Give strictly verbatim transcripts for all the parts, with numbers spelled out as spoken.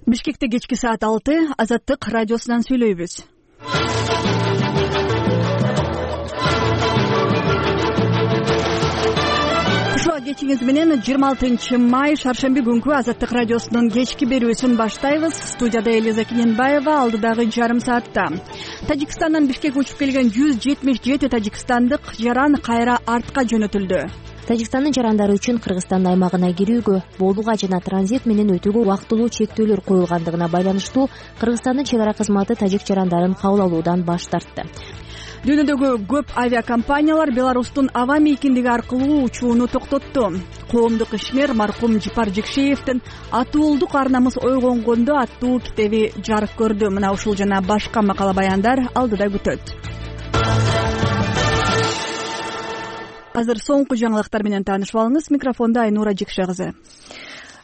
Бишкекте кечки саат алты Азаттык радиосунан сүйлөйбүз. Ушул кечиңиз менен жыйырма алтынчы май шаршемби күнкү Азаттык радиосунун кечки берүүсүн баштайбыз. Студияда Элиза Киненбаева, алдыдагы жарым саатта. Тажикстандан Бишкекке учуп келген жүз жетимиш жети тажикстандык жаран кайра артка жөнөтүлдү. Тажикстандын жарандары үчүн Кыргызстан аймагына кирүүгө, болууга жана транзит менен өтүүгө убактылуу чектөөлөр коюлгандыгына байланыштуу Кыргызстандын чек ара кызматы тажик жарандарын кабыл алуудан баш тартты. Дүйнөдөгү көп авиакомпаниялар Беларустун аба мейкиндиги аркылуу учууну токтотту. Коомдук ишмер маркум Жипар Жекшеевдин «Атуулдук ар намыс ойгонгондо» аттуу китеби жарык көрдү. Мына ушул жана башка макала баяндар алдыда күтөт. Азыр соңку жаңылыктар менен таанышып алыңыз. Микрофонда Айнура Жекше кызы.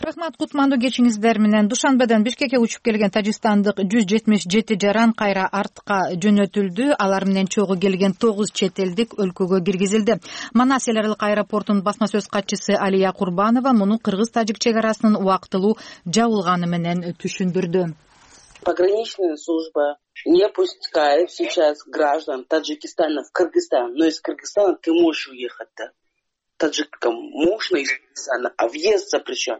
Рахмат, кутмандуу кечиңиздер менен. Душанбеден Бишкекке учуп келген тажикстандык жүз жетимиш жети жаран кайра артка жөнөтүлдү. Алар менен чогуу келген тогуз чет элдик өлкөгө киргизилди. Манас эл аралык аэропортунун басма сөз катчысы Алия Курбанова муну кыргыз-тажик чек арасынын убактылуу жабылганы менен түшүндүрдү. Пограничная служба не пускает сейчас граждан Таджикистана в Кыргызстан, но из Кыргызстана ты можешь уехать, да? Таджикам можно из Кыргызстана, а въезд запрещен.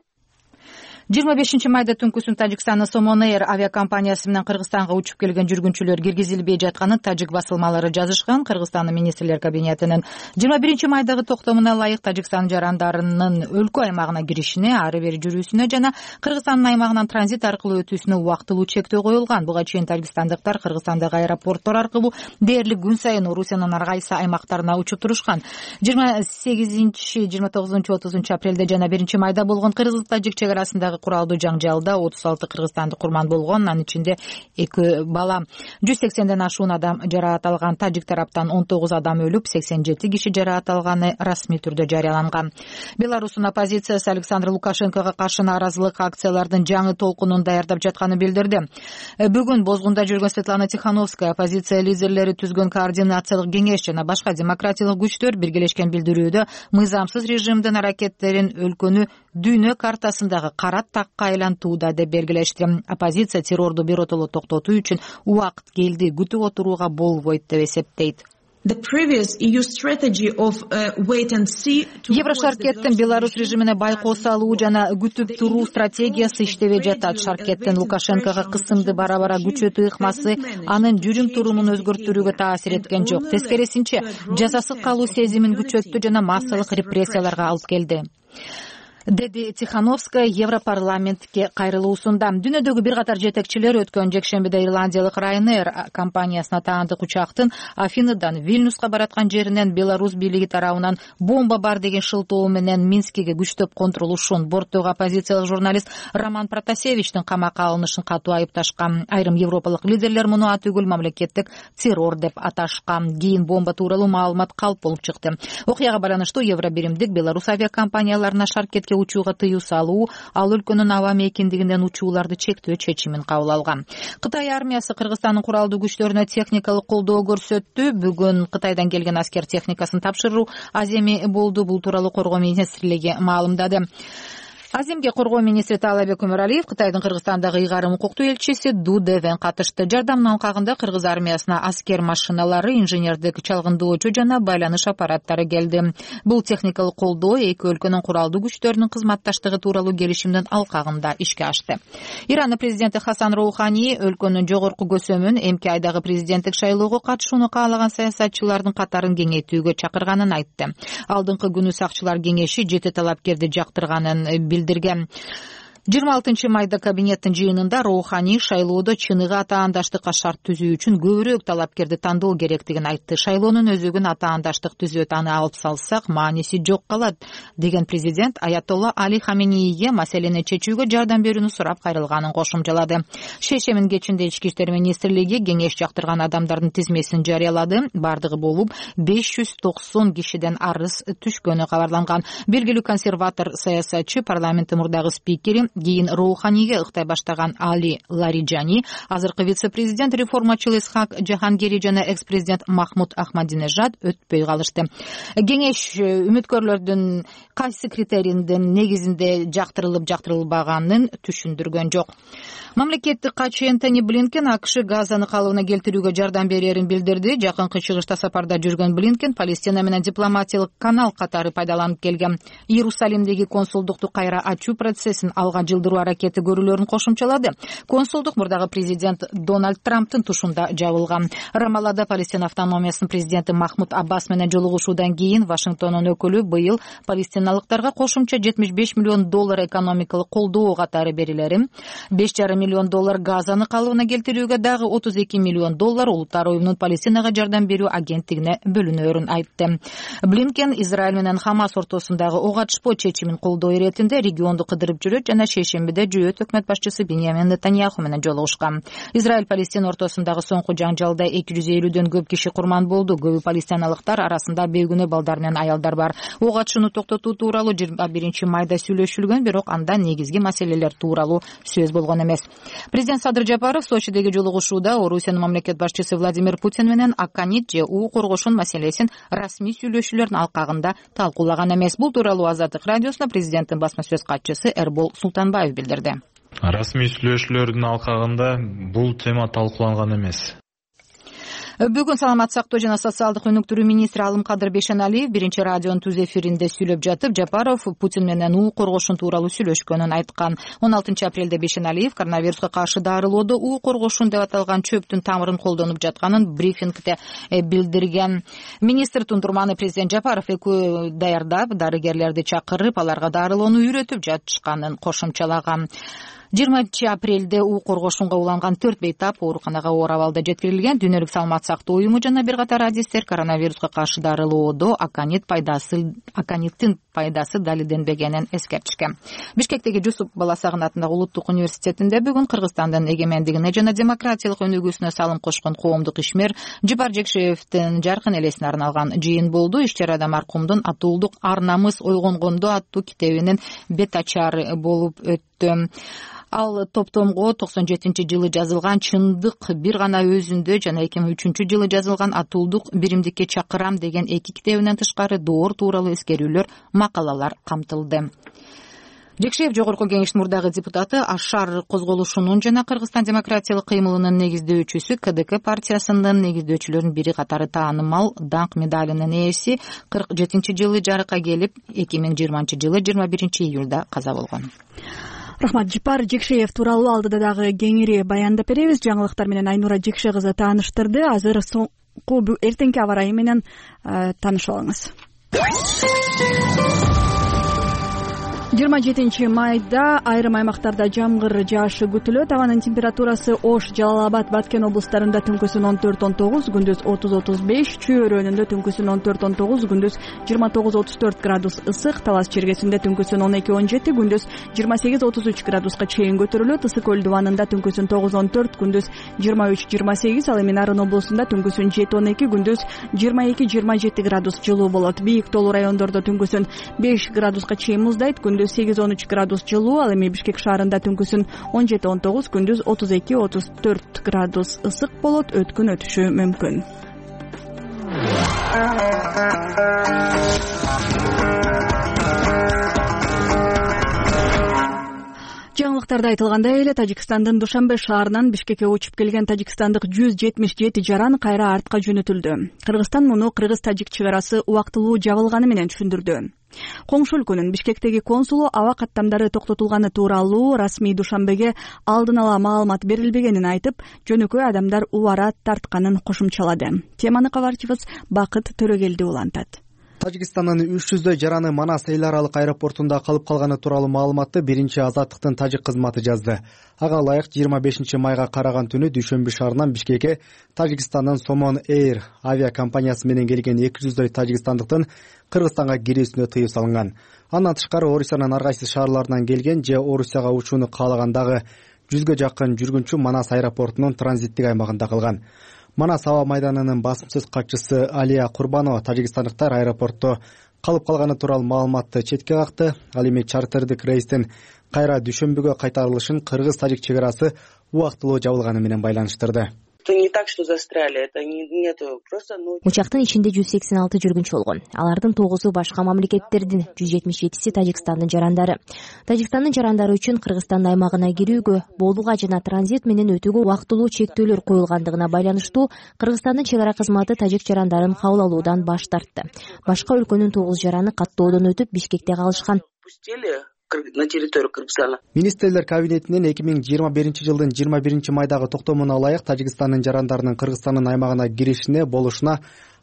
жыйырма бешинчи майда түнкүсүн Тажикстандын Somon Air авиакомпаниясы менен Кыргызстанга учуп келген жүргүнчүлөр киргизилбей жатканын тажик басылмалары жазышкан. Кыргызстандын министрлер кабинетинин жыйырма биринчи майдагы токтомуна ылайык Тажикстан жарандарынын өлкө аймагына киришине, ары бери жүрүүсүнө жана Кыргызстандын аймагынан транзит аркылуу өтүүсүнө убактылуу чектөө коюлган. Буга чейин тажикстандыктар Кыргызстандагы аэропорттор аркылуу дээрлик күн сайын Орусиянын ар кайсы аймактарына учуп турушкан. жыйырма сегизинчи, жыйырма тогузунчу, отузунчу апрелде жана биринчи майда болгон кыргыз-тажик чек арасындагы куралдуу жаңжалда отуз алты кыргызстандык курман болгон, анын ичинде эки бала. жүз сексенден ашуун адам жараат алган. Тажик тараптан он тогуз адам өлүп, сексен жети киши жараат алганы расмий түрдө жарыяланган. Беларустун оппозициясы Александр Лукашенкого каршы нааразылык акциялардын жаңы толкунун даярдап жатканын билдирди. Бүгүн Бозгунда жүргөн Светлана Тихановская оппозиция лидерлери түзгөн координациялык кеңеш жана башка демократиялык күчтөр биргелешкен билдирүүдө мыйзамсыз режимдин аракеттерин өлкөнү дүйнө картасындагы кара такка айлантууда деп белгилешти. Оппозиция террорду биротоло токтотуу үчүн убакыт келди, күтүп отурууга болбойт деп эсептейт. Еврошаркеттин Беларусь режимине байкоо салуу жана күтүп туруу стратегиясы иштебей жатат. Шаркеттин Лукашенкого кысымды бара-бара күчөтүү ыкмасы анын жүрүм турумун өзгөртүүгө таасир эткен жок. Тескерисинче, жазасыз калуу сезимин күчөттү жана массалык репрессияларга алып келди, деди Тихановская Европарламентке кайрылуусунда. Дүйнөдөгү бир катар жетекчилер өткөн жекшембиде ирландиялык Ryanair компаниясына таандык учактын Афиныдан Вильнюска бараткан жеринен Беларусь бийлиги тарабынан бомба бар деген шылтоо менен Минскиге күчтөп контролушун, борттогу оппозициялык журналист Роман Протасевичтин камакка алынышын катуу айыпташкан. Айрым европалык лидерлер муну атүгүл мамлекеттик террор деп аташкан. Кийин бомба тууралуу маалымат калп болуп чыкты. Окуяга байланыштуу Евробиримдик Беларусь авиакомпанияларына шаркетке учууга тыюу салуу, ал өлкөнүн аба мейкиндигинен учууларды чектөө чечимин кабыл алган. Кытай армиясы Кыргызстандын куралдуу күчтөрүнө техникалык колдоо көрсөттү. Бүгүн Кытайдан келген аскер техникасын тапшыруу аземи болду. Бул тууралуу коргоо министрлиги маалымдады. Аземге коргоо министри Таалайбек Өмөралиев Кытайдын Кыргызстандагы ыйгарым укуктуу элчиси Ду Девен катышты. Жардамдын алкагында кыргыз армиясына аскер машиналары, инженердик чалгындоочу жана байланыш аппараттары келди. Бул техникалык колдоо эки өлкөнүн куралдуу күчтөрүнүн кызматташтыгы тууралуу келишимдин алкагында ишке ашты. Иранын президенти Хасан Роухани өлкөнүн жогорку көсөмүн эмки айдагы президенттик шайлоого катышууну каалаган саясатчылардын катарын кеңейтүүгө чакырганын айтты. Алдыңкы күнү сакчылар кеңеши жети талапкерди жактырганын билдирди. жыйырма алтынчы майда кабинеттин жыйынында Роухани шайлоодо чыныгы атаандаштыкка шарт түзүү үчүн көбүрөөк талапкерди тандоо керектигин айтты. Шайлоонун өзөгүн атаандаштык түзөт, аны алып салсак мааниси жок калат деген президент Аятолла Али Хаменейге маселени чечүүгө жардам берүүнү сурап кайрылганын кошумчалады. Шейшемин кечинде ички иштер министрлиги кеңеш жактырган адамдардын тизмесин жарыялады. Бардыгы болуп беш жүз токсон кишиден арыз түшкөнү кабарланган. Белгилүү консерватор саясатчы, парламенттин мурдагы спикери, кийин Роуханиге ыктай баштаган Али Лариджани, азыркы вице-президент реформачыл Исхак Жахангери жана экс-президент Махмуд Ахмадинежад өтпөй калышты. Кеңеш үмүткөрлөрдүн кайсы критерийдин негизинде жактырылып жактырылбаганын түшүндүргөн жок. Мамлекеттик катчы Энтони Блинкен АКШ Газаны калыбына келтирүүгө жардам берерин билдирди. Жакынкы чыгышта сапарда жүргөн Блинкен Палестина менен дипломатиялык канал катары пайдаланып келген Иерусалимдеги консулдукту кайра ачуу процессин алга жылдыруу аракети көрүүлөрүн кошумчалады. Консулдук мурдагы президент Дональд Трамптын тушунда жабылган. Рамаллада Палестина автономиясынын президенти Махмуд Аббас менен жолугушуудан кийин Вашингтондун өкүлү быйыл палестиналыктарга кошумча жетимиш беш миллион доллар экономикалык колдоо катары берилерин, беш жарым миллион доллар Газаны калыбына келтирүүгө дагы отуз эки миллион доллар Улуттар уюмунун Палестинага жардам берүү агенттигине бөлүнөрүн айтты. Блинкен Израиль менен Хамас ортосундагы ок атышпоо чечимин колдоо иретинде регионду кыдырып жүрөт жана шейшембиде жүйөт өкмөт башчысы Биньямин Нетаньяху менен жолугушкан. Израиль Палестина ортосундагы соңку жаңжалда эки жүз элүүдөн көп киши курман болду. Көбү палестиналыктар арасында бейгүнөө балдар менен аялдар бар. Ок атышууну токтотуу тууралуу жыйырма биринчи майда сүйлөшүлгөн, бирок анда негизги маселелер тууралуу сөз болгон эмес. Президент Садыр Жапаров Сочидеги жолугушууда Орусиянын мамлекет башчысы Владимир Путин менен Аканит же уу коргошун маселесин расмий сүйлөшүүлөрдүн алкагында талкуулаган эмес. Бул тууралуу Азаттык радиосуна президенттин басма сөз катчысы Эрбол Султанбаев билдирди. Расмий сүйлөшүүлөрдүн алкагында бул тема талкууланган эмес. Бүгүн саламаттык сактоо жана социалдык өнүктүрүү министри Алымкадыр Бейшеналиев биринчи радионун түз эфиринде сүйлөп жатып, Жапаров Путин менен уу коргошун тууралуу сүйлөшкөнүн айткан. он алтынчы апрелде Бейшеналиев коронавируска каршы дарылоодо уу коргошун деп аталган чөптүн тамырын колдонуп жатканын брифингде билдирген. Министр тундурманы президент Жапаров экөө даярдап, дарыгерлерди чакырып, аларга дарылоону үйрөтүп жатышканын кошумчалаган. жыйырманчы апрелде уу коргошунга уланган төрт бейтап ооруканага оор абалда жеткирилген. Дүйнөлүк саламаттык сактоо уюму жана бир катар адистер коронавируска каршы дарылоодо аканит пайдасы аканиттин пайдасы далилденбегенин эскертишкен. Бишкектеги Жусуп Баласагын атындагы улуттук университетинде бүгүн Кыргызстандын эгемендигине жана демократиялык өнүгүүсүнө салым кошкон коомдук ишмер Жипар Жекшеевдин жаркын элесине арналган жыйын болду. Иш-чарада маркумдун Атуулдук ар намыс ойгонгондо аттуу китебинин бет ачары болуп өттү. Ал топтомго токсон жетинчи жылы жазылган Чындык бир гана өзүндө жана эки миң үчүнчү жылы жазылган Атуулдук биримдикке чакырам деген эки китебинен тышкары доор тууралуу эскерүүлөр, макалалар камтылды. Жекшеев жогорку кеңештин мурдагы депутаты Ашар козголушунун жана Кыргызстан демократиялык кыймылынын негиздөөчүсү КДК партиясынын негиздөөчүлөрүнүн бири катары таанымал даңк медалынын ээси кырк жетинчи жылы жарыкка келип, эки миң жыйырманчы жылы жыйырма биринчи июлда каза болгон. Рахмат. Жипар Жекшеев тууралуу алдыда дагы кеңири баяндап беребиз. Жаңылыктар менен Айнура Жекше кызы тааныштырды. Азыр соңку эртеңки аба ырайы менен таанышып алыңыз. жыйырма жетинчи майда айрым аймактарда жамгыр жаашы күтүлөт. Абанын температурасы Ош, Жалал Абад, Баткен облустарында түнкүсүн он төрт он тогуз, күндүз отуз отуз беш, Чүй өрөөнүндө түнкүсүн он төрт он тогуз, күндүз жыйырма тогуз отуз төрт градус ысык, Талас чергесинде түнкүсүн он эки он жети, күндүз жыйырма сегиз отуз үч градуска чейин көтөрүлөт. Ысык көл дубанында түнкүсүн тогуз он төрт, күндүз жыйырма үч жыйырма сегиз, ал эми Нарын облусунда түнкүсүн жети он эки, күндүз жыйырма эки жыйырма жети градус жылуу болот. Бийик тоолуу райондордо түнкүсүн беш градуска чейин муздайт, күндүз сегиз он үч градус жылуу, ал эми Бишкек шаарында түнкүсүн он жети он тогуз, күндүз отуз эки отуз төрт градус ысык болот. Өткүн өтүшү мүмкүн. Жаңылыктарда айтылгандай эле Тажикстандын Душанбе шаарынан Бишкекке учуп келген тажикстандык жүз жетимиш жети жаран кайра артка жөнөтүлдү. Кыргызстан муну кыргыз-тажик чек арасы убактылуу жабылганы менен түшүндүрдү. Коңшу өлкөнүн Бишкектеги консулу аба каттамдары токтотулганы тууралуу расмий Душанбеге алдын ала маалымат берилбегенин айтып, жөнөкөй адамдар убара тартканын кошумчалады. Теманы кабарчыбыз Бакыт Төрөгелди улантат. Тажикстандын үч жүздөй жараны Манас эл аралык аэропортунда калып калганы тууралуу маалыматты биринчи Азаттыктын тажик кызматы жазды. Ага ылайык жыйырма бешинчи майга караган түнү Дүйшөмбү шаарынан Бишкекке Тажикстандын Somon Air авиакомпаниясы менен келген эки жүздөй тажикстандыктын Кыргызстанга кирүүсүнө тыюу салынган. Андан тышкары Орусиянын ар кайсы шаарларынан келген же Орусияга учууну каалагандагы жүзгө жакын жүргүнчү Манас аэропортунун транзиттик аймагында калган. Манас аба майданынын басым сөз катчысы Алия Курбанова тажикстандыктар аэропортто калып калганы тууралуу маалыматты четке какты. Ал эми чартердик рейстин кайра Дүйшөмбүгө кайтарылышын кыргыз-тажик чек арасы убактылуу жабылганы менен байланыштырды. Это не так, что застряли, это нету просто. Учактын ичинде жүз сексен алты жүргүнчү болгон. Алардын тогузу башка мамлекеттердин, жүз жетимиш жетиси Тажикстандын жарандары. Тажикстандын жарандары үчүн Кыргызстан аймагына кирүүгө, болууга жана транзит менен өтүүгө убактылуу чектөөлөр коюлгандыгына байланыштуу Кыргызстандын чек ара кызматы тажик жарандарын кабыл алуудан баш тартты. Башка өлкөнүн тогуз жараны каттоодон өтүп Бишкекте калышкан. На территорию Кыргызстана. Министрлер кабинетинин эки миң жыйырма биринчи жылдын жыйырма биринчи майдагы токтомуна ылайык Тажикстандын жарандарынын Кыргызстандын аймагына киришине, болушуна,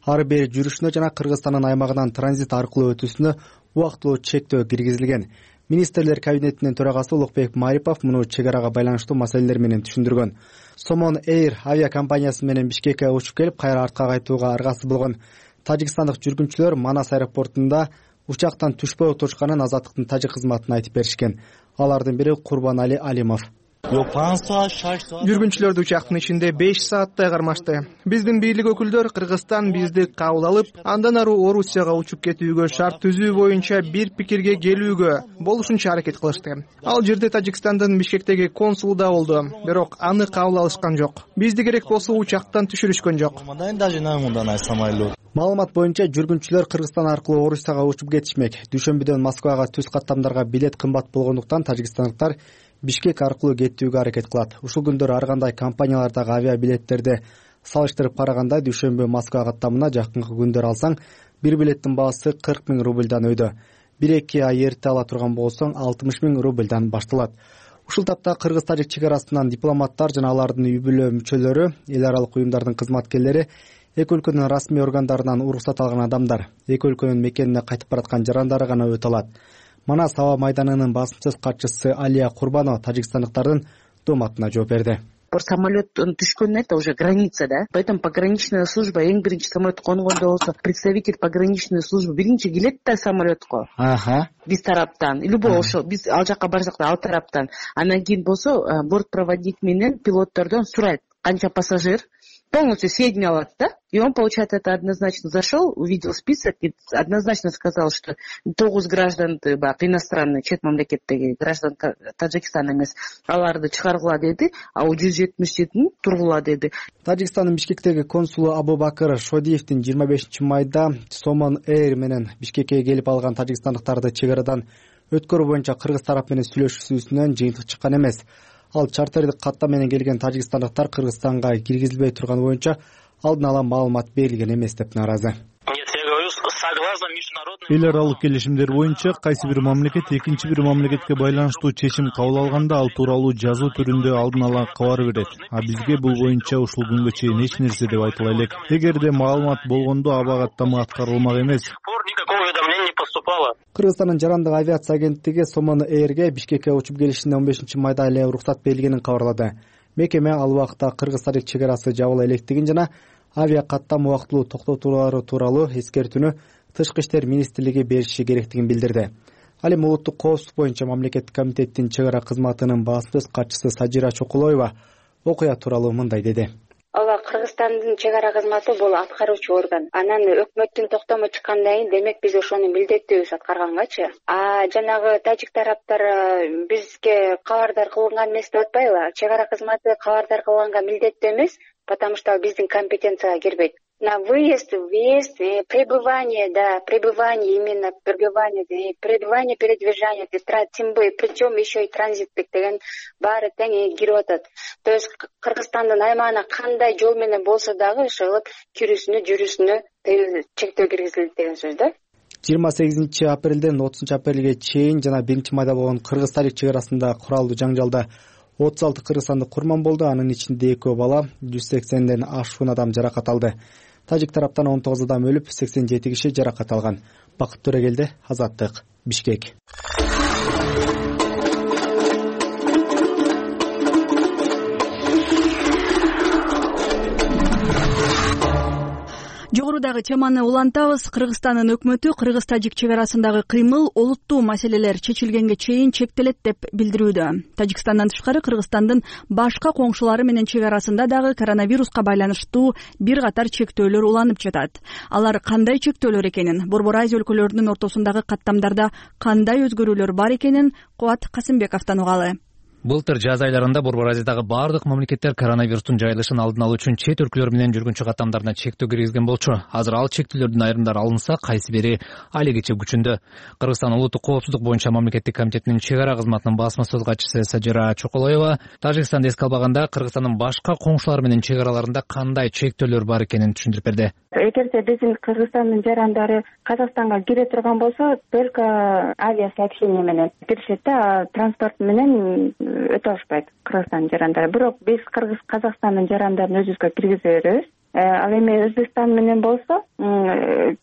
ары бери жүрүшүнө жана Кыргызстандын аймагынан транзит аркылуу өтүүсүнө убактылуу чектөө киргизилген. Министрлер кабинетинин төрагасы Улукбек Марипов муну чек арага байланыштуу маселелер менен түшүндүргөн. Сомон Эйр авиакомпаниясы менен Бишкекке учуп келип, кайра артка кайтууга аргасыз болгон тажикстандык жүргүнчүлөр Манас аэропортунда учактан түшпөй отурушканын Азаттыктын тажик кызматына айтып беришкен. Алардын бири Курбанали Алимов. Жүргүнчүлөрдү учактын ичинде беш сааттай кармашты. Биздин бийлик өкүлдөр Кыргызстан бизди кабыл алып, андан ары Орусияга учуп кетүүгө шарт түзүү боюнча бир пикирге келүүгө болушунча аракет кылышты. Ал жерде Тажикстандын Бишкектеги консулу да болду, бирок аны кабыл алышкан жок. Бизди керек болсо учактан түшүрүшкөн жок. Маалымат боюнча жүргүнчүлөр Кыргызстан аркылуу Орусияга учуп кетишмек. Дүйшөмбүдөн Москвага түз каттамдарга билет кымбат болгондуктан тажикстандыктар Бишкек аркылуу кеттүүгө аракет кылат. Ушул күндөр ар кандай компаниялардагы авиабилеттерди салыштырып караганда Дүйшөмбү Москва каттамына жакынкы күндөр алсаң, бир билеттин баасы кырк миң рубльдан өйдө. бир эки ай эрте ала турган болсоң алтымыш миң рубльдан башталат. Ушул тапта кыргыз-тажик чек арасынан дипломаттар жана алардын үй бүлө мүчөлөрү, эл аралык уюмдардын кызматкерлери, эки өлкөнүн расмий органдарынан уруксат алган адамдар, эки өлкөнүн мекенине кайтып бараткан жарандары гана өтө алат. Манас аба майданынын басымсыз катчысы Алия Курбанова тажикстандыктардын дооматына жооп берди. Самолет түшкөн это уже граница, да? Поэтому пограничная служба эң биринчи самолет конгондо болсо, представитель пограничной службы биринчи келет да самолетко. Ага. Биз тараптан, любой ошо биз ал жака барсак да ал тараптан. Анан кийин болсо бортпроводник менен пилоттордон сурайт канча пассажир, полностью сведения алат, да? И он, получается, это однозначно зашел, увидел список и однозначно сказал, что тогуз граждан иностранный, чет мамлекеттеги граждан Таджикстана эмес, аларды чыгаргыла деди, а у жүз жетимиш жетини тургула деди. Тажикстандын Бишкектеги консулу Абубакыр Шодиевдин жыйырма бешинчи майда Сомон Эйр менен Бишкекке келип алган тажикстандыктарды чек арадан өткөрүү боюнча кыргыз тарап менен сүйлөшүүсүнөн жыйынтык чыккан эмес. Ал чартердик катта менен келген тажикстандыктар Кыргызстанга киргизилбей турган боюнча алдын ала маалымат берилген эмес деп нааразы. Эл аралык келишимдер боюнча кайсы бир мамлекет экинчи бир мамлекетке байланыштуу чечим кабыл алганда ал тууралуу жазуу түрүндө алдын ала кабар берет. А бизге бул боюнча ушул күнгө чейин эч нерсе деп айтыла элек. Эгерде маалымат болгондо аба каттама аткарылмак эмес. Кыргызстандын жарандык авиация агенттиги Сомон Эйрге Бишкекке учуп келишине он бешинчи майда эле уруксат берилгенин кабарлады. Мекеме ал убакта кыргыз-тажик чек арасы жабыла электигин жана авиа каттам убактылуу токтотуулары тууралуу эскертүүнү Тышкы иштер министрлиги бериши керектигин билдирди. Ал эми улуттук коопсуздук боюнча мамлекеттик комитеттин чек ара кызматынын басымсыз катчысы Сажира Чокулоева окуя тууралуу мындай деди. Ооба, Кыргызстандын чек ара кызматы бул аткаруучу орган. Анан өкмөттүн токтому чыккандан кийин демек биз ошону милдеттүүбүз аткаргангачы. А жанагы тажик тараптар бизге кабардар кылынган эмес деп атпайбы? Чек ара кызматы кабардар кылганга милдеттүү эмес, потому что биздин компетенцияга кирбейт. На выезд, въезд, пребывание, да, пребывание, именно пребывание, пребывание, передвижение, тем более, причем еще и транзиттик деген баары тең кирип атат. То есть Кыргызстандын аймагына кандай жол менен болсо дагы ошол кирүүсүнө, жүрүүсүнө чектөө киргизилди деген сөз да. жыйырма сегизинчи апрелден отузунчу апрелге чейин жана биринчи майда болгон кыргыз-тажик чек арасында куралдуу жаңжалда отуз алты кыргызстандык курман болду. Анын ичинде экөө бала, жүз сексенден ашуун адам жаракат алды. Тажик тараптан он тогуз адам өлүп, сексен жети киши жаракат алган. Бакыт Төрөгелди, Азаттык, Бишкек. Жогорудагы теманы улантабыз. Кыргызстандын өкмөтү кыргыз-тажик чек арасындагы кыймыл олуттуу маселелер чечилгенге чейин чектелет деп билдирүүдө. Тажикстандан тышкары Кыргызстандын башка коңшулары менен чек арасында дагы коронавируска байланыштуу бир катар чектөөлөр уланып жатат. Алар кандай чектөөлөр экенин, Борбор Азия өлкөлөрүнүн ортосундагы каттамдарда кандай өзгөрүүлөр бар экенин Кубат Касымбековдон угалы. Былтыр жаз айларында Борбор Азиядагы бардык мамлекеттер коронавирустун жайылышын алдын алуу үчүн чет өлкөлөр менен жүргүнчү каттамдарына чектөө киргизген болчу. Азыр ал чектөөлөрдүн айрымдары алынса, кайсы бири алегиче күчүндө. Кыргызстан улуттук коопсуздук боюнча мамлекеттик комитетинин чек ара кызматынын басма сөз катчысы Сажира Чоколоева Тажикстанды эске албаганда Кыргызстандын башка коңшулары менен чек араларында кандай чектөөлөр бар экенин түшүндүрүп берди. Эгерде биздин Кыргызстандын жарандары Казакстанга кире турган болсо, только авиасообщение менен киришет да, транспорт менен өтө алышпайт Кыргызстандын жарандары. Бирок биз Кыргыз Казакстандын жарандарын өзүбүзгө киргизе беребиз. Ал эми Өзбекстан менен болсо,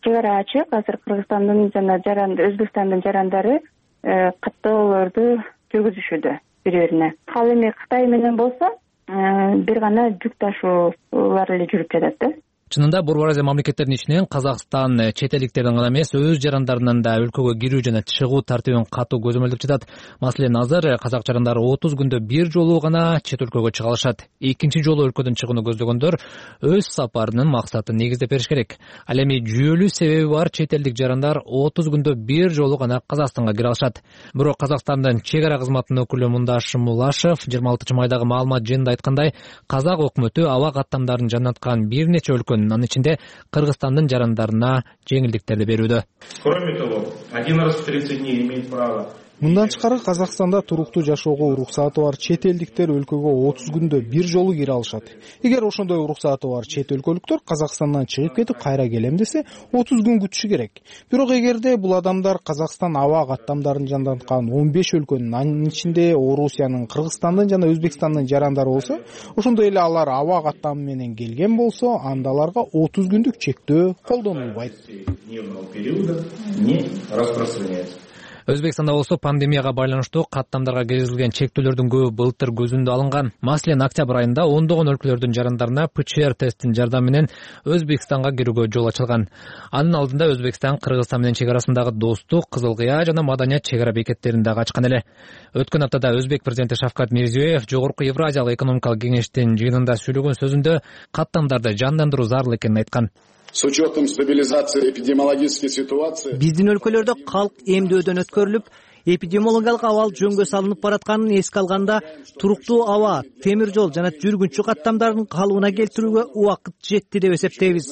чек ара ачык. Азыр Кыргызстандын жана жаранды Өзбекстандын жарандары каттоолорду жүргүзүшүүдө бири-бирине. Ал эми Кытай менен болсо, бир гана жүк ташуулар эле жүрүп жатат да. Чынында Борбор Азия мамлекеттеринин ичинен Казакстан чет элдиктердин гана эмес, өз жарандарынын да өлкөгө кирүү жана чыгуу тартибин катуу көзөмөлдөп жатат. Маселен, азыр казак жарандары отуз күндө бир жолу гана чет өлкөгө чыга алышат. Экинчи жолу өлкөдөн чыгууну көздөгөндөр өз сапарынын максатын негиздеп бериш керек. Ал эми жүйөлүү себеби бар чет элдик жарандар отуз күндө бир жолу гана Казакстанга кире алышат. Бирок Казакстандын чек ара кызматынын өкүлү Мундаш Мулашев жыйырма алтынчы майдагы маалымат жыйынында айткандай, казак өкмөтү аба каттамдарын жанаткан бир нече өлкөнүн, анын ичинде Кыргызстандын жарандарына жеңилдиктерди берүүдө. Кроме того, один раз в тридцать дней имеет право. Мындан тышкары Казакстанда туруктуу жашоого уруксаты бар чет элдиктер өлкөгө отуз күндө бир жолу кире алышат. Эгер ошондой уруксаты бар чет өлкөлүктөр Казакстандан чыгып кетип кайра келем десе, отуз күн күтүшү керек. Бирок эгерде бул адамдар Казакстан аба каттамдарын жандаткан он беш өлкөнүн, анын ичинде Орусиянын, Кыргызстандын жана Өзбекстандын жарандары болсо, ошондой эле алар аба каттамы менен келген болсо, анда аларга отуз күндүк чектөө колдонулбайт. Өзбекстанда болсо пандемияга байланыштуу каттамдарга киргизилген чектөөлөрдүн көбү былтыр көзүндө алынган. Маселен, октябрь айында ондогон өлкөлөрдүн жарандарына пэ че эр тесттин жардамы менен Өзбекстанга кирүүгө жол ачылган. Анын алдында Өзбекстан Кыргызстан менен чек арасындагы достук, Кызыл Кыя жана Маданият чек ара бекеттерин дагы ачкан эле. Өткөн аптада Өзбек президенти Шавкат Мирзиёев Жогорку Евразиялык экономикалык кеңештин жыйынында сүйлөгөн сөзүндө каттамдарды жандандыруу зарыл экенин айткан. С учетом стабилизации эпидемиологической ситуации биздин өлкөлөрдө калк эмдөөдөн өткөрүлүп, эпидемиологиялык абал жөнгө салынып баратканын эске алганда, туруктуу аба, темир жол жана жүргүнчү каттамдарын калыбына келтирүүгө убакыт жетти деп эсептейбиз,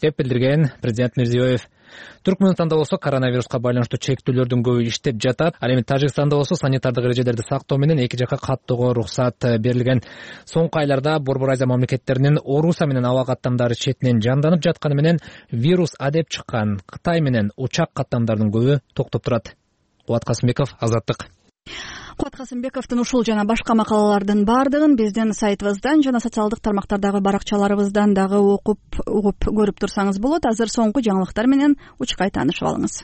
деп билдирген президент Мирзиёев. Түркмөнстанда болсо коронавируска байланыштуу чектөөлөрдүн көбү иштеп жатат. Ал эми Тажикстанда болсо санитардык эрежелерди сактоо менен эки жака каттоого уруксат берилген. Соңку айларда Борбор Азия мамлекеттеринин Орусия менен аба каттамдары четинен жанданып жатканы менен вирус адеп чыккан Кытай менен учак каттамдардын көбү токтоп турат. Кубат Касымбеков, Азаттык. Кубат Касымбековдун ушул жана башка макалалардын бардыгын биздин сайтыбыздан жана социалдык тармактардагы баракчаларыбыздан дагы окуп угуп көрүп турсаңыз болот. Азыр соңку жаңылыктар менен учкай таанышып алыңыз.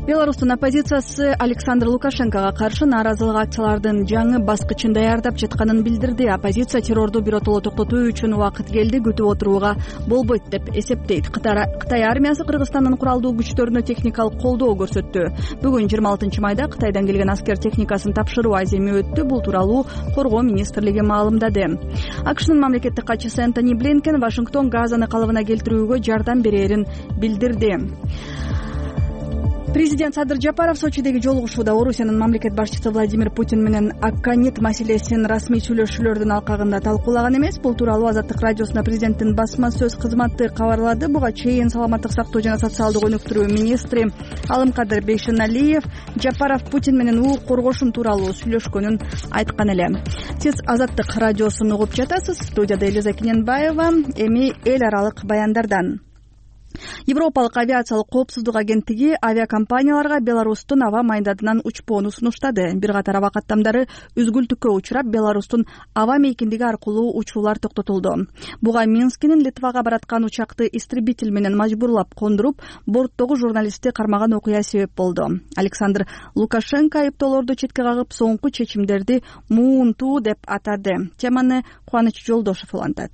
Беларустун оппозициясы Александр Лукашенкого каршы нааразылык акциялардын жаңы баскычын даярдап жатканын билдирди. Оппозиция террорду биротоло токтотуу үчүн убакыт келди, күтүп отурууга болбойт деп эсептейт. Кытай армиясы Кыргызстандын куралдуу күчтөрүнө техникалык колдоо көрсөттү. Бүгүн жыйырма алтынчы майда Кытайдан келген аскер техникасын тапшыруу аземи өттү. Бул тууралуу Коргоо министрлиги маалымдады. АКШнын мамлекеттик катчысы Энтони Блинкен Вашингтон Газаны калыбына келтирүүгө жардам берерин билдирди. Президент Садыр Жапаров Сочидеги жолугушууда Орусиянын мамлекет башчысы Владимир Путин менен Акканит маселесин расмий сүйлөшүүлөрдүн алкагында талкуулаган эмес. Бул тууралуу Азаттык радиосуна президенттин басма сөз кызматы кабарлады. Буга чейин саламаттык сактоо жана социалдык өнүктүрүү министри Алымкадыр Бейшеналиев Жапаров Путин менен укук коргошун тууралуу сүйлөшкөнүн айткан эле. Сиз Азаттык радиосун угуп жатасыз. Студияда Элиза Киненбаева. Эми эл аралык баяндардан. Европалык авиациялык коопсуздук агенттиги авиакомпанияларга Беларустун аба майдатынан учпоону сунуштады. Бир катар аба каттамдары үзгүлтүккө учурап, Беларустун аба мейкиндиги аркылуу учуулар токтотулду. Буга Минскинин Литвага бараткан учакты истребитель менен мажбурлап кондуруп, борттогу журналистти кармаган окуя себеп болду. Александр Лукашенко айыптоолорду четке кагып, соңку чечимдерди муунтуу деп атады. Теманы Кубаныч Жолдошов улантат.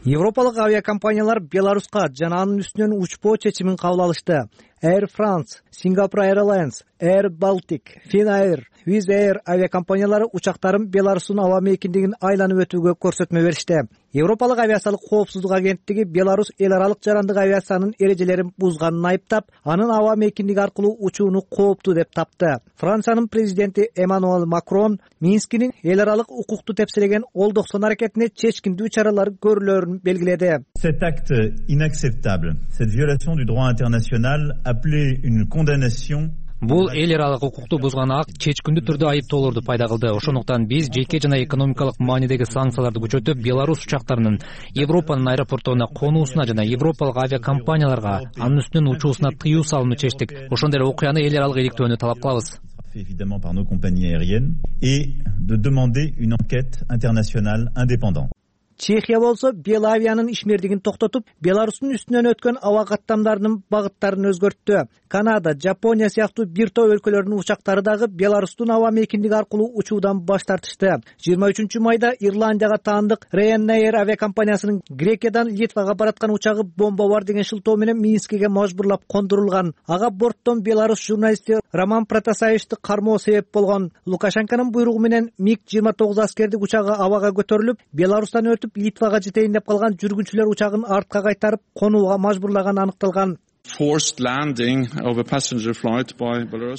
Европалык авиакомпаниялар Беларуска жана анын үстүнөн учпоо чечимин кабыл алышты. Air France, Singapore Airlines, Air Baltic, Finnair, Wizz Air авиакомпаниялары учактарын Беларустун аба мейкиндигин айланып өтүүгө көрсөтмө беришти. Европалык авиациялык коопсуздук агенттиги Беларусь эл аралык жарандык авиациянын эрежелерин бузганын айыптап, анын аба мейкиндиги аркылуу учууну кооптуу деп тапты. Франциянын президенти Эммануэль Макрон Минскинин эл аралык укукту тепселеген олдоксон аракетине чечкиндүү чаралар көрүлөрүн белгиледи. Cet acte inacceptable, cette violation du droit international appelait une condamnation. Бул эл аралык укукту бузган акт чечкиндүү түрдө айыптоолорду пайда кылды. Ошондуктан биз жеке жана экономикалык маанидеги санкцияларды күчөтүп, Беларусь учактарынын Европанын аэропортуна конуусуна жана европалык авиакомпанияларга анын үстүнөн учуусуна тыюу салууну чечтик. Ошондой эле окуяны эл аралык иликтөөнү талап кылабыз. Évidemment par nos compagnies aériennes et de demander une enquête internationale indépendante. Чехия болсо Белавиянын ишмердигин токтотуп, Беларустун үстүнөн өткөн аба каттамдарынын багыттарын өзгөрттү. Канада, Жапония сыяктуу бир топ өлкөлөрдүн учактары дагы Беларустун аба мейкиндиги аркылуу учуудан баш тартышты. жыйырма үчүнчү майда Ирландияга таандык Ryanair авиакомпаниясынын Грекиядан Литвага бараткан учагы бомба бар деген шылтоо менен Минскиге мажбурлап кондурулган. Ага борттон Беларус журналисти Роман Протасевичти кармоо себеп болгон. Лукашенконун буйругу менен миг жыйырма тогуз аскердик учагы абага көтөрүлүп, Беларустан өтүп Литвага жетейин деп калган жүргүнчүлөр учагын артка кайтарып, конууга мажбурлаган аныкталган.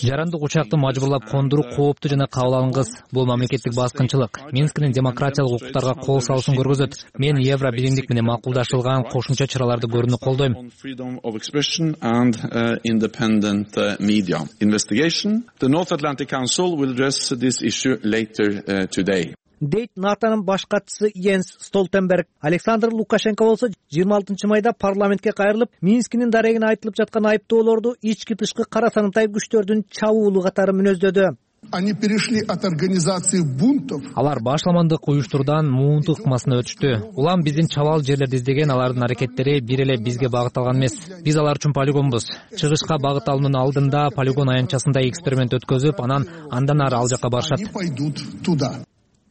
Жарандык учакты мажбурлап кондуруу кооптуу жана кабыл алынгыс. Бул мамлекеттик баскынчылык. Минскинин демократиялык укуктарга кол салышын көргөзөт. Мен Евро биримдик менен макулдашылган кошумча чараларды көрүүнү колдойм. Дейт НАТОнун баш катчысы Йенс Столтенберг. Александр Лукашенко болсо жыйырма алтынчы майда парламентке кайрылып, Минскинин дарегине айтылып жаткан айыптоолорду ички тышкы кара санатай күчтөрдүн чабуулу катары мүнөздөдү. Они перешли от организации бунтов. Алар башламандык уюштуруудан муунту ыкмасына өтүштү. Улам биздин чабал жерлерди издеген алардын аракеттери бир эле бизге багытталган эмес. Биз алар үчүн полигонбуз. Чыгышка багыт алуунун алдында полигон аянтчасында эксперимент өткөзүп, анан андан ары ал жака барышат.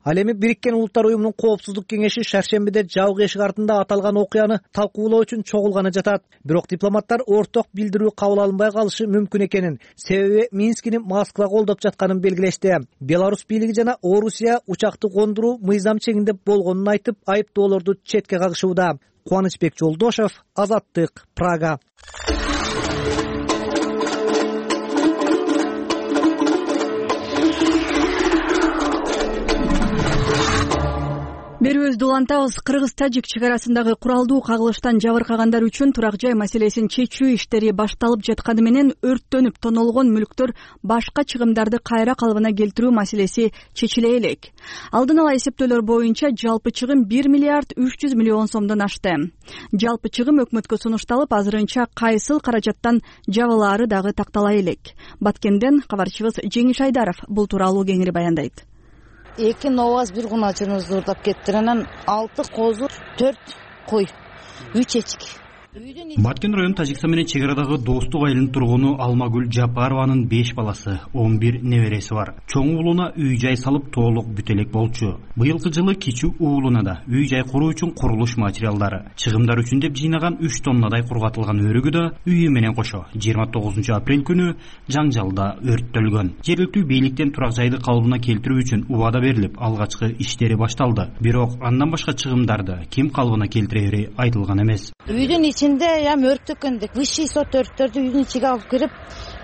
Ал эми Бириккен Улуттар уюмунун коопсуздук кеңеши шаршембиде жабык эшик артында аталган окуяны талкуулоо үчүн чогулганы жатат. Бирок дипломаттар орток билдирүү кабыл алынбай калышы мүмкүн экенин, себеби Минскини Москва колдоп жатканын белгилешти. Беларусь бийлиги жана Орусия учакты кондуруу мыйзам чегинде болгонун айтып, айыптоолорду четке кагышууда. Кубанычбек Жолдошев, Азаттык, Прага. Берүүбүздү улантабыз. Кыргыз-Тажик чек арасындагы куралдуу кагылыштан жабыркагандар үчүн турак жай маселесин чечүү иштери башталып жатканы менен өрттөнүп тонолгон мүлктөр башка чыгымдарды кайра калыбына келтирүү маселеси чечиле элек. Алдын ала эсептөөлөр боюнча жалпы чыгым бир миллиард үч жүз миллион сомдон ашты. Жалпы чыгым өкмөткө сунушталып, азырынча кайсыл каражаттан жабылаары дагы тактала элек. Баткенден кабарчыбыз Жеңиш Айдаров бул тууралуу кеңири баяндайт. Эки новаз бир куначыбызды уурдап кеттир. Анан алты козу, төрт кой, үч эчки. Баткен район Тажикстан менен чек арадагы достук айылынын тургуну Алмагүл Жапарованын беш баласы, он бир небереси бар. Чоң уулуна үй жай салып толук бүтелек болчу. Быйылкы жылы кичүү уулуна да үй жай куруу үчүн курулуш материалдары, чыгымдар үчүн деп жыйнаган үч тоннадай кургатылган өрүгү да үйү менен кошо жыйырма тогузунчу апрель күнү жаңжалда өрттөлгөн. Жергиликтүү бийликтен турак жайды калыбына келтирүү үчүн убада берилип, алгачкы иштери башталды. Бирок андан башка чыгымдарды ким калыбына келтирери айтылган эмес. Үйдүн ичинде ям өрттөккөндүк высший сот өрттөрдү үйдүн ичиге алып кирип,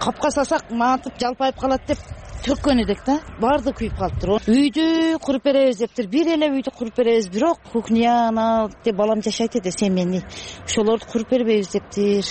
капка салсак матып жалпайып калат деп төккөн эдик да. Барды күйүп калыптыр. Үйдү куруп беребиз дептир. Бир эле үйдү куруп беребиз, бирок кухня деп балам жашайт эди, семейный. Ошолорду куруп бербейбиз дептир.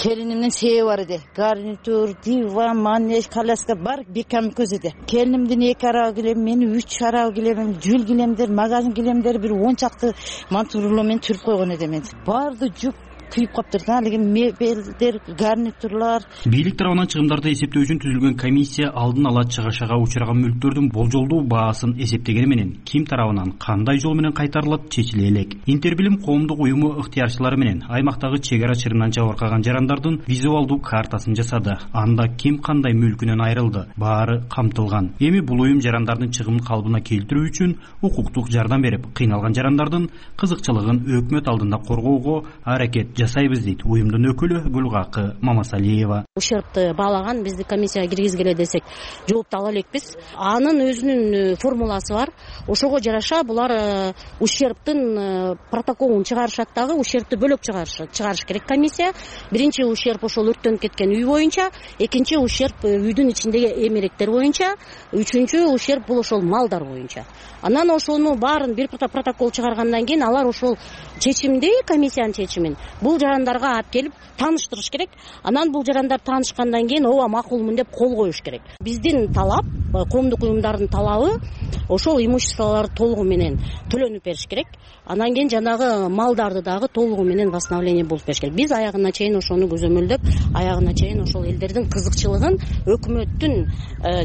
Келинимдин себеби бар эди. Гарнитур, диван, манеж, коляска бар, бир камикөз эди. Келинимдин эки арабы килем, менин үч арабы килемим, жүл килемдер, магазин килемдер, бир он чакты мантурло менен түрүп койгон эдим мен. Барды жүк күйүп каптыр да, алиги мебелдер, гарнитурлар. Бийлик тарабынан чыгымдарды эсептөө үчүн түзүлгөн комиссия алдын ала чыгышага учураган мүлктөрдүн болжолдуу баасын эсептегени менен ким тарабынан кандай жол менен кайтарылат чечиле элек. Интербилим коомдук уюму ыктыярчылары менен аймактагы чек ара чырынан жабыркаган жарандардын визуалдуу картасын жасады. Анда ким кандай мүлкүнөн айрылды, баары камтылган. Эми бул уюм жарандардын чыгымын калыбына келтирүү үчүн укуктук жардам берип, кыйналган жарандардын кызыкчылыгын өкмөт алдында коргоого аракет жасайбыз дейт уюмдун өкүлү Гүлгакы Мамасалиева. Ущербты баалаган бизди комиссияга киргизгиле десек жоопту ала элекпиз. Анын өзүнүн формуласы бар. Ошого жараша булар ущербтин протоколун чыгарышат дагы, ущербти бөлөк чыгарыш чыгарыш керек комиссия. Биринчи ущерб ошол өрттөнүп кеткен үй боюнча, экинчи ущерб үйдүн ичиндеги эмеректер боюнча, үчүнчү ущерб бул ошол малдар боюнча. Анан ошону баарын бир протокол чыгаргандан кийин алар ошол чечимди, комиссиянын чечимин бул жарандарга алып келип тааныштырыш керек. Анан бул жарандар таанышкандан кийин ооба макулмун деп кол коюш керек. Биздин талап, коомдук уюмдардын талабы ошол имуществолорду толугу менен төлөнүп бериш керек. Анан кийин жанагы малдарды дагы толугу менен восстановление болуп бериш керек. Биз аягына чейин ошону көзөмөлдөп, аягына чейин ошол элдердин кызыкчылыгын өкмөттүн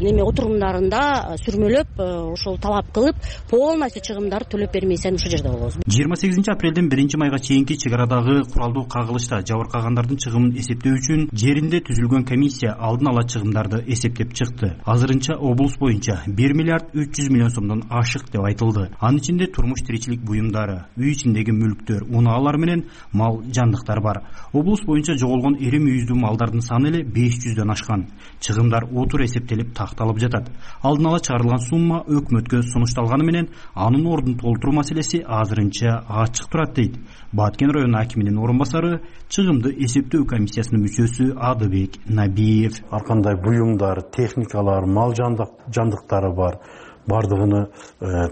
неме отурумдарында сүрмөлөп, ошол талап кылып, полностью чыгымдарды төлөп бермесен ушул жерде болобуз. жыйырма сегизинчи апрелден биринчи майга чейинки чек арадагы куралдуу кагылышта жабыркагандардын чыгымын эсептөө үчүн жеринде түзүлгөн комиссия алдын ала чыгымдарды эсептеп чыкты. Азырынча облус боюнча бир миллиард үч жүз миллион сомдон ашык деп айтылды. Анын ичинде турмуш тиричилик буюмдары, үй ичиндеги мүлктөр, унаалар менен мал жандыктар бар. Облус боюнча жоголгон эри мүйүздүү малдардын саны эле беш жүздөн ашкан. Чыгымдар отур эсептелип такталып жатат. Алдын ала чыгарылган сумма өкмөткө сунушталганы менен анын ордун толтуруу маселеси азырынча ачык турат дейт Баткен району акиминин орун басары, чыгымды эсептөө комиссиясынын мүчөсү Адыбек Набиев. Ар кандай буюмдар, техникалар, мал жандыктары бар. Бардыгыны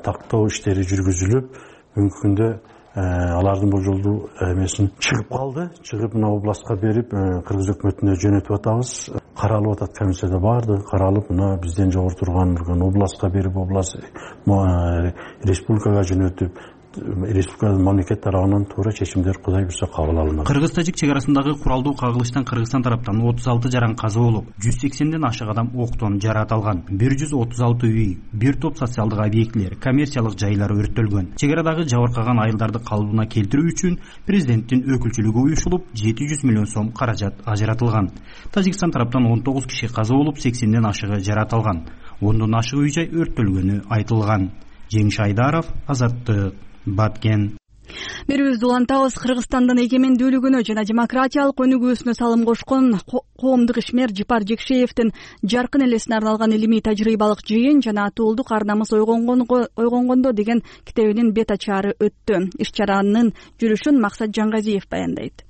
тактоо иштери жүргүзүлүп, бүгүнкү күндө алардын божолдуу эмесин чыгып калды. Чыгып мына областка берип, кыргыз өкмөтүнө жөнөтүп атабыз. Каралып атат комиссияда барды. Каралып, мына бизден жогору турган областка берип, област республикага жөнөтүп, республиканын мамлекет тарабынан туура чечимдер Кудай буйрса кабыл алынат. Кыргыз-тажик чек арасындагы куралдуу кагылыштан Кыргызстан тараптан отуз алты жаран каза болуп, жүз сексенден ашык адам октон жараат алган. бир жүз отуз алты үй, бир топ социалдык объектилер, коммерциялык жайлар өрттөлгөн. Чек арадагы жабыркаган айылдарды калыбына келтирүү үчүн президенттин өкүлчүлүгү уюшулуп, жети жүз миллион сом каражат ажыратылган. Тажикстан тараптан он тогуз киши каза болуп, сексенден ашыгы жараат алган. ондон ашык үй жай өрттөлгөнү айтылган. Жеңиш Айдаров, Азаттык, Баткен. Берүүбүздү улантабыз. Кыргызстандын эгемендүүлүгүнө жана демократиялык өнүгүүсүнө салым кошкон коомдук ишмер Жипар Жекшеевдин жаркын элесине арналган илимий тажрыйбалык жыйын жана атуулдук ар намыс ойгонгондо деген китебинин бет ачаары өттү. Иш чаранын жүрүшүн Максат Жангазиев баяндайт.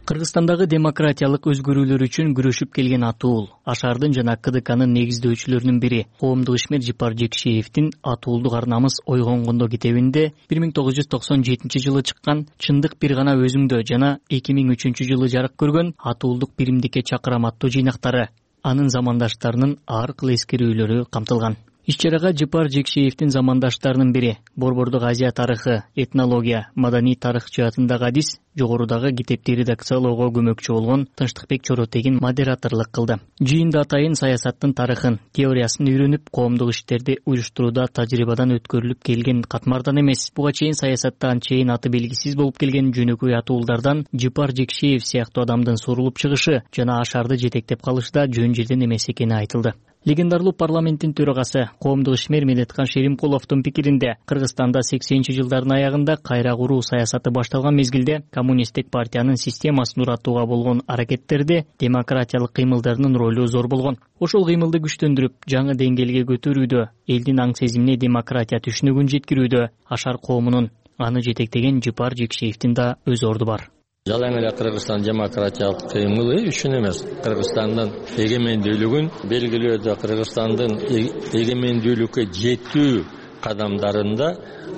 Кыргызстандагы демократиялык өзгөрүүлөр үчүн күрөшүп келген атуул Ашардын жана КДКнын негиздөөчүлөрүнүн бири коомдук ишмер Жипар Жекшеевдин атуулдук ар намыс ойгонгондо китебинде бир миң тогуз жүз токсон жетинчи жылы чыккан Чындык бир гана өзүңдө жана эки миң үчүнчү жылы жарык көргөн Атуулдук биримдикке чакырам аттуу жыйнактары, анын замандаштарынын ар кыл эскерүүлөрү камтылган. Иш-чарага Жипар Жекшеевдин замандаштарынын бири, Борбордук Азия тарыхы, этнология, маданий тарых жаатындагы адис, жогорудагы китепти редакциялоого көмөкчү болгон Тынчтыкбек Чоротегин модераторлук кылды. Жыйында атайын саясаттын тарыхын, теориясын үйрөнүп, коомдук иштерди уюштурууда тажрыйбадан өткөрүлүп келген катмардан эмес, буга чейин саясатта анчейин аты белгисиз болуп келген жөнөкөй атуулдардан Жипар Жекшеев сыяктуу адамдын сурулуп чыгышы жана Ашарды жетектеп калышта жөн жерден эмес экени айтылды. Легендарлуу парламенттин төрагасы, коомдук ишмер Медеткан Шеримкуловдун пикиринде, Кыргызстанда сексенинчи жылдардын аягында кайра куруу саясаты башталган мезгилде коммунисттик партиянын системасын уратууга болгон аракеттерде демократиялык кыймылдарынын ролу зор болгон. Ошол кыймылды күчтөндүрүп, жаңы деңгээлге көтөрүүдө, элдин аң сезимине демократия түшүнүгүн жеткирүүдө Ашар коомунун аны жетектеген Жипар Жекшеевдин да өз орду бар. Жалаң эле Кыргызстан демократиялык кыймылы үчүн эмес, Кыргызстандын эгемендүүлүгүн белгилөөдө, Кыргызстандын эгемендүүлүккө жетүү кадамдарында,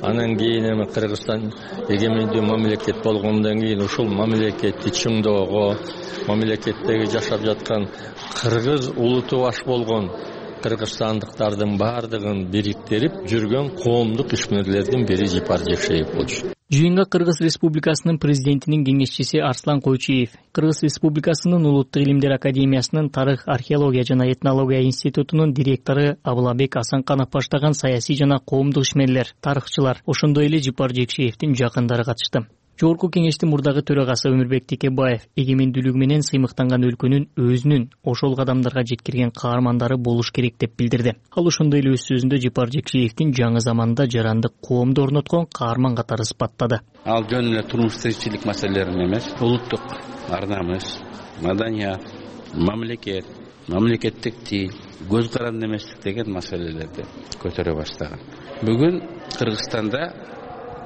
анан кийин эми Кыргызстан эгемендүү мамлекет болгондон кийин ушул мамлекетти чыңдоого, мамлекеттеги жашап жаткан кыргыз улуту баш болгон кыргызстандыктардын баардыгын бириктирип жүргөн коомдук ишмерлердин бири Жипар Жекшеев болчу. Жыйынга Кыргыз Республикасынын президентинин кеңешчиси Арслан Койчиев, Кыргыз Республикасынын Улуттук илимдер академиясынын тарых, археология жана этнология институтунун директору Абылабек Асанканов баштаган саясий жана коомдук ишмерлер, тарыхчылар, ошондой эле Жипар Жекшеевдин жакындары катышты. Жогорку кеңештин мурдагы төрагасы Өмүрбек Текебаев эгемендүүлүгү менен сыймыктанган өлкөнүн өзүнүн ошол кадамдарга жеткирген каармандары болуш керек деп билдирди. Ал ошондой эле өз сөзүндө Жапар Жекшеевдин жаңы заманда жарандык коомду орноткон каарман катары сыпаттады. Ал жөн эле турмуш тиричилик маселелерин эмес, улуттук ар намыс, маданият, мамлекет, мамлекеттик тил, көз каранды эместик деген маселелерди көтөрө баштаган. Бүгүн Кыргызстанда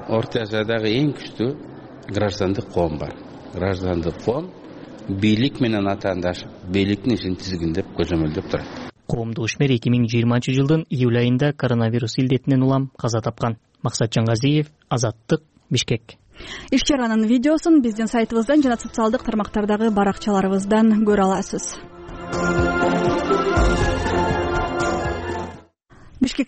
Орто Азиядагы эң күчтүү граждандык коом бар. Граждандык коом бийлик менен атаандашып, бийликтин ишин тизгиндеп, көзөмөлдөп турат. Коомдук ишмер эки миң жыйырманчы жылдын июль айында коронавирус илдетинен улам каза тапкан. Максат Жаңгазиев, Азаттык, Бишкек. Иш чаранын видеосун биздин сайтыбыздан жана социалдык тармактардагы баракчаларыбыздан көрө аласыз.